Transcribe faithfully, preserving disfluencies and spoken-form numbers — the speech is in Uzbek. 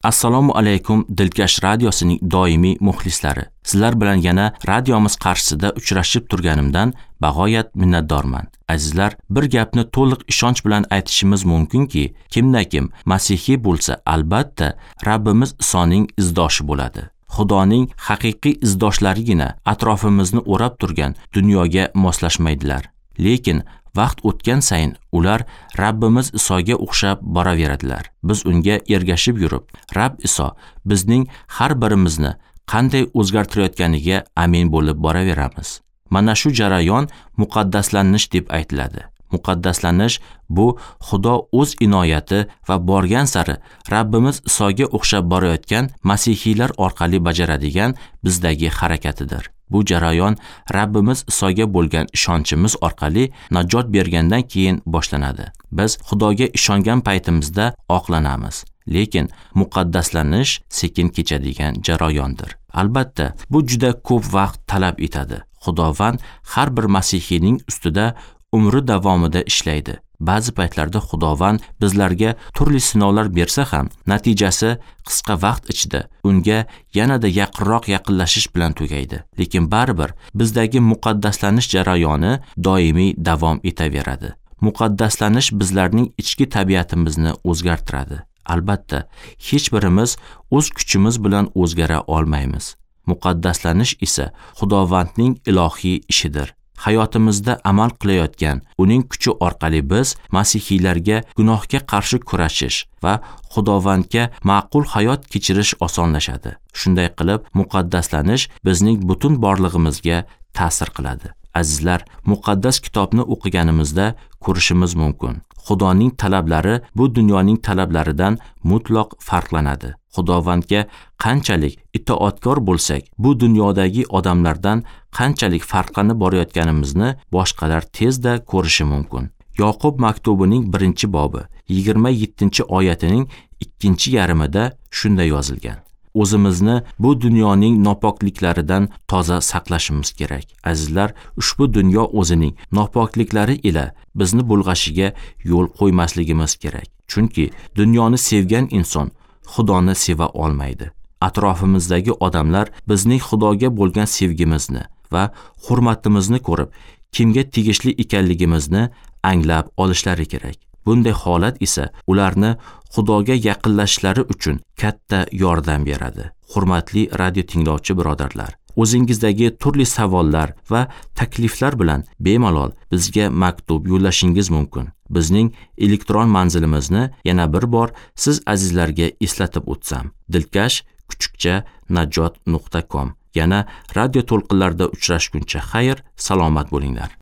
Assalomu alaykum Dilkash radiosining doimiy muxlislari. Sizlar bilan yana radiomiz qarshisida uchrashib turganimdan bag'oyat minnatdorman. Azizlar, bir gapni to'liq ishonch bilan aytishimiz mumkinki, kimda-kim masihiy bo'lsa, albatta Rabbimiz Isoning izdoshi bo'ladi. Xudoning haqiqiy izdoshlarigina atrofimizni o'rab turgan dunyoga moslashmaydilar. Lekin vaqt o'tgan sayin ular Rabbimiz Isoga o'xshab boraveradilar. Biz unga ergashib yurib, Rab Iso bizning har birimizni qanday o'zgartirayotganiga amin bo'lib boraveramiz. Mana shu jarayon muqaddaslanish deb aytiladi. Muqaddaslanish bu Xudo o'z inoyati va borgan sari Rabbimiz Isoga o'xshab borayotgan masihiylar orqali bajaradigan bizdagi harakatidir. Bu jarayon Rabbimiz Isoga bo'lgan ishonchimiz orqali najot bergandan keyin boshlanadi. Biz Xudoga ishongan paytimizda oqlanamiz, lekin muqaddaslanish sekin kechadigan jarayondir. Albatta, bu juda ko'p vaqt talab etadi. Xudovand har bir masihiyning ustida umri davomida ishlaydi. Ba'zi paytlarda Xudovand bizlarga turli sinovlar bersa ham, natijasi qisqa vaqt ichida unga yanada yaqinroq yaqinlashish bilan tugaydi. Lekin baribir bizdagi muqaddaslanish jarayoni doimiy davom etaveradi. Muqaddaslanish bizlarning ichki tabiatimizni o'zgartiradi. Albatta, hech birimiz o'z kuchimiz bilan o'zgara olmaymiz. Muqaddaslanish esa Xudovandning ilohiy ishidir. Hayotimizda amal qilayotgan uning kuchi orqali biz masihiylarga gunohga qarshi kurashish va Xudovandga ma'qul hayot kechirish osonlashadi. Shunday qilib, muqaddaslanish bizning butun borlig'imizga ta'sir qiladi. Azizlar, muqaddas kitobni o'qiganimizda ko'rishimiz mumkin. Xudoning talablari bu dunyoning talablaridan mutlaq farqlanadi. Xudovandga qanchalik itoatkor bo'lsak, bu dunyodagi odamlardan qanchalik farqlanib borayotganimizni boshqalar tezda ko'rishi mumkin. Yoqub maktubining birinchi bobi yigirma yettinchi oyatining ikkinchi yarmida shunday yozilgan: O'zimizni bu dunyoning nopokliklaridan toza saqlashimiz kerak. Azizlar, ushbu dunyo o'zining nopokliklari ila bizni bulg'ashiga yo'l qo'ymasligimiz kerak. Chunki dunyoni sevgan inson Xudoni seva olmaydi. Atrofimizdagi odamlar bizning Xudoga bo'lgan sevgimizni va hurmatimizni ko'rib, kimga tegishli ekanligimizni anglab olishlari kerak. Bunday holat esa ularni Xudoga yaqinlashishlari uchun katta yordam beradi. Hurmatli radio tinglovchi birodarlar, o'zingizdagi turli savollar va takliflar bilan bemalol bizga maktub yo'llashingiz mumkin. Bizning elektron manzilimizni yana bir bor siz azizlarga eslatib o'tsam: dilkash kuchukcha najot nuqta com. Yana radio to'lqinlarida uchrashguncha xayr, salomat bo'linglar.